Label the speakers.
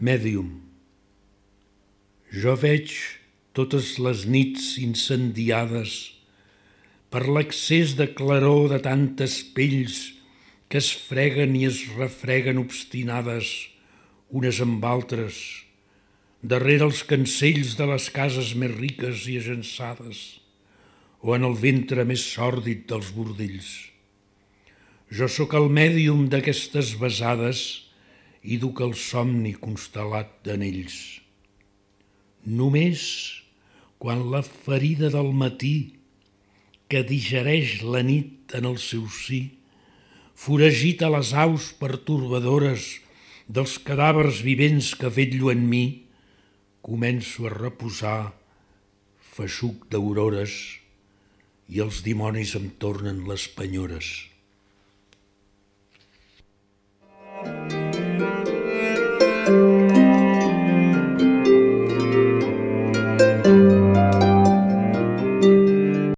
Speaker 1: Mèdium. Jo veig totes les nits incendiades per l'excés de claror de tantes pells que es freguen i es refreguen obstinades unes amb altres, darrere els cancells de les cases més riques i agençades o en el ventre més sòrdid dels bordells. Jo sóc el mèdium d'aquestes besades i duc el somni constel·lat d'anells. Només quan la ferida del matí que digereix la nit en el seu si foragita les aus pertorbadores dels cadàvers vivents que vetllo en mi, començo a reposar feixuc d'aurores i els dimonis em tornen les penyores.